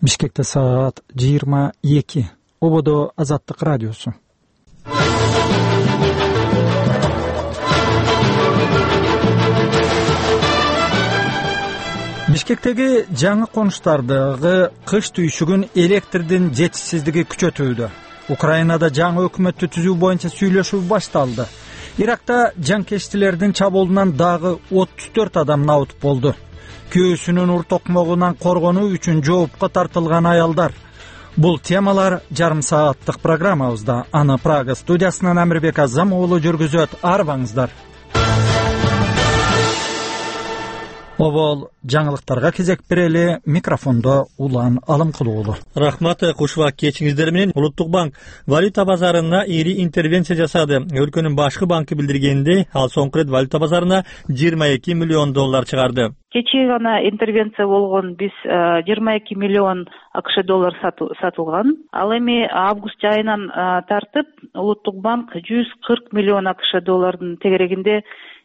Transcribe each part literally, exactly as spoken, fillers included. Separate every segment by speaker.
Speaker 1: Бишкекте саат жыйырма эки. Ободо Азаттык радиосу. Бишкектеги жаңы конуштардагы кыш түйшүгүн электрдин жетишсиздиги күчөтүүдө. Украинада жаңы өкмөттү түзүү боюнча сүйлөшүү башталды. Иракта жанкечтилердин чабуулунан дагы отуз төрт адам набыт болду. Күйөөсүнүн ур токмогунан коргонуу үчүн жоопко тартылган аялдар. Бул темалар жарым сааттык программабызда. Аны Прага студиясынан Амирбек Азам уулу жүргүзөт. Арбаңыздар. Обол жаңылыктарга кезек берели. Микрофондо Улан Алымкулуулу.
Speaker 2: Рахмат, кушубак кечиңиздер менен. Улуттук банк валюта базарына ири интервенция жасады. Өлкөнүн башкы банкы билдиргендей, ал соңку рет валюта базарына жыйырма эки миллион доллар чыгарды.
Speaker 3: Кечээ гана интервенция болгон, биз жыйырма эки миллион АКШ доллар сатылган. Ал эми август айынан тартып Улуттук банк жүз кырк миллион АКШ доллардын тегерегинде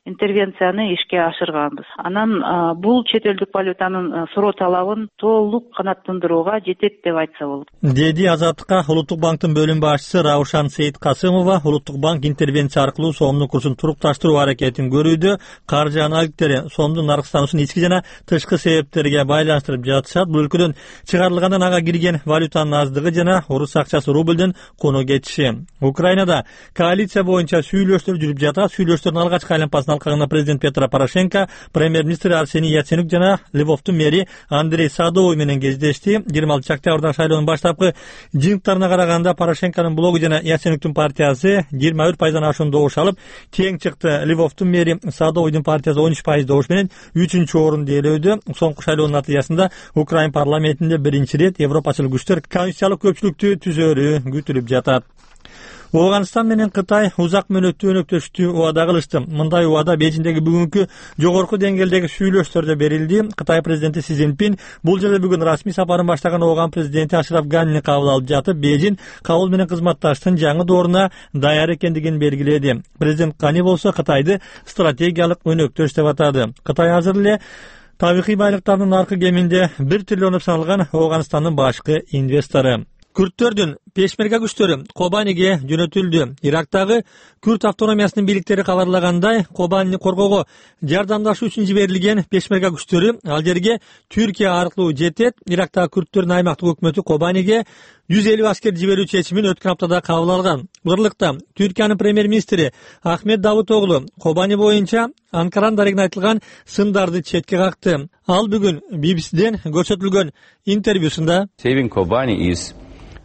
Speaker 3: интервенцияны ишке ашырганбыз. Анан бул чет элдик валютанын суроо талабын толук канааттандырууга жетет деп айтса болот.
Speaker 2: Деди Азаттыкка Улуттук банктын бөлүм башчысы Раушан Сейиткасымова. Улуттук банк интервенция аркылуу сомдун курсун турукташтыруу аракетин көрүүдө. Каржы аналитиктери сомдун наркстануусун ички жана тышкы себептерге байланыштырып жатышат. Бул өлкөдөн чыгарылгандан ага кирген валютанын аздыгы жана орус акчасы рубльдин кону кетиши. Украинада коалиция боюнча сүйлөшүүлөр жүрүп жатат. Сүйлөшүүлөрдүн алгачкы айланпасына алкагында президент Петро Порошенко, премьер-министр Арсений Яценюк жана Львовдун мэри Андрей Садовой менен кездешти. жыйырма алтынчы октябрда шайлоонун баштапкы жыйынтыктарына караганда Порошенконун блогу жана Яценюктун партиясы жыйырма бир пайыздан ашуун добуш алып, тең чыкты. Львовдун мэри Садовойдун партиясы он үч пайыз добуш менен үчүнчү орун ээлөөдө. Соңку шайлоонун натыйжасында Украин парламентинде биринчи рет европачыл күчтөр конституциялык көпчүлүктү түзөөрү күтүлүп жатат. Афганистан менен Кытай узак мөөнөттүү өнөктөштү убада кылышты. Мындай убада Бейжиңдеги бүгүнкү жогорку деңгээлдеги сүйлөшүүлөрдө берилди. Кытай президенти Си Цзиньпин бул жерде бүгүн расмий сапарын баштаган Афган президенти Ашраф Ганини кабыл алып жатып, Бейжиң Кабул менен кызматташтын жаңы дооруна даяр экендигин белгиледи. Президент Гани болсо Кытайды стратегиялык өнөктөш деп атады. Кытай азыр эле табигый байлыктардын наркы кеминде бир триллион саналган Афганистандын башкы инвестору. Күрттөрдүн пешмерга күчтөрү Кобаниге жөнөтүлдү. Ирактагы Күрт автономиясынын бийликтери кабарлагандай, Кобанини коргоого жардамдашуу үчүн жиберилген пешмерга күчтөрү ал жерге Түркия аркылуу жетет. Ирактагы күрттөрдүн аймактык өкмөтү Кобаниге жүз элүү аскер жиберүү чечимин өткөн аптада кабыл алган. Бырлыкта Түркиянын премьер-министри Ахмет Давутоглу Кобани боюнча Анкарандагы айтылган сындарды четке какты. Ал бүгүн Би Би Сиден көрсөтүлгөн интервьюсунда
Speaker 4: Saving Kobani is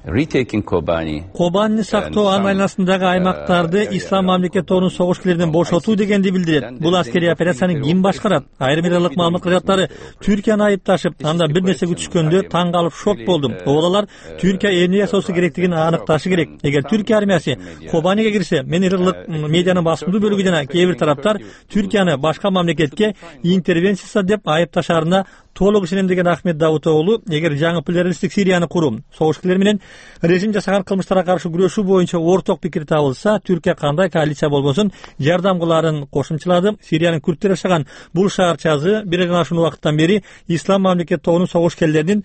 Speaker 4: Retaking Kobani.
Speaker 2: Кобанини сактоо анын айланасындагы аймактарды ислам мамлекетторунун согушкерлеринен бошотуу дегенди билдирет. Бул аскерий операцияны ким башкарат? Айрым ирлык маалымат кызматтары Түркияны айыпташып, анда бир нерсе күтүшкөндө таң калып шок болдум. Олар Түркия эмне жасоосу керектигин аныкташы керек. Эгер Түркия армиясы Кобаниге кирсе, мен ирлык медианын басымдуу бөлүгү жана кээ бир тараптар Түркияны башка мамлекетке интервенция деп айыпташарына толук ишенем деген Ахмет Давутоглу, эгер жаңы плюралисттик Сирияны куруу, согушкерлер менен режим жасаган кылмыштарга каршы күрөшүү боюнча орток пикир табылса, Түркия кандай коалиция болбосун жардам кыларын кошумчалады. Сириянын күрттөр жашаган бул шаарчасы бир гана ашуун убакыттан бери ислам мамлекетторунун согушкерлеринин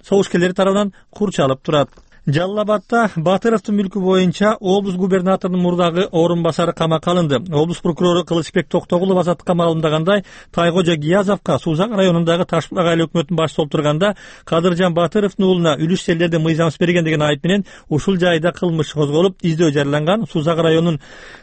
Speaker 2: согушкерлери тарабынан курчалып турат. Жалал-Абадта Батыровдун мүлкү боюнча облус губернаторунун мурдагы орун басары камакка алынды. Облус прокурору Кылычбек Токтогулов Азаттыкка маалымдагандай, Тайкожа Гиязовко Сузак районундагы Ташбулак айыл өкмөтүнүн башчысы болуп турганда Кадыржан Батыровдун уулуна үлүш жерлерди мыйзамсыз берген деген айып менен ушул жайда кылмыш козголуп, издөө жарыяланган. Сузак районунун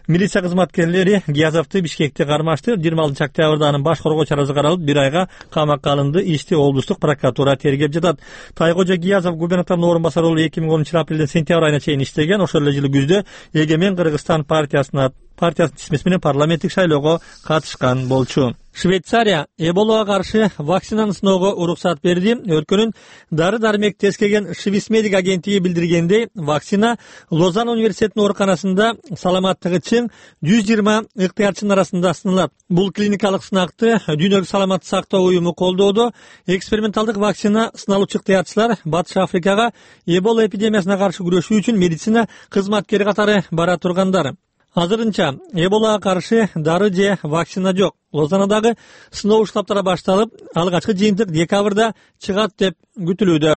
Speaker 2: милиция кызматкерлери Гиязовду Бишкекте кармашты. жыйырма алтынчы октябрда анын баш коргоо чарасы каралып, бир айга камакка алынды. Ишти облустук прокуратура тергеп жатат. Тайкожа Гиязов губернатордун орун басары болуп эки миң он үчүнчү апрелден сентябрь айына чейин иштеген. Ошол эле жылы күздө Эгемен Кыргызстан партиясына партиясынын тизмеси менен парламенттик шайлоого катышкан болчу. Швейцария Эболага каршы вакцинаны сыноого уруксат берди. Өлкөнүн дары-дармек тескеген Швейцмедик агенттиги билдиргендей, вакцина Лозанн университетинин ооруканасында саламаттыгы чың жүз жыйырма ыктыярчынын арасында сыналат. Бул клиникалык сынакты Дүйнөлүк саламаттык сактоо уюму колдоодо. Эксперименталдык вакцина сыналуучу ыктыярчылар Батыш Африкага Эбола эпидемиясына каршы күрөшүү үчүн медицина кызматкери катары бара тургандар. Азырынча Эболага каршы дары же вакцина жок. Лозаннадагы сыноо штабтары башталып, алгачкы жыйынтык декабрда чыгат деп күтүлүүдө.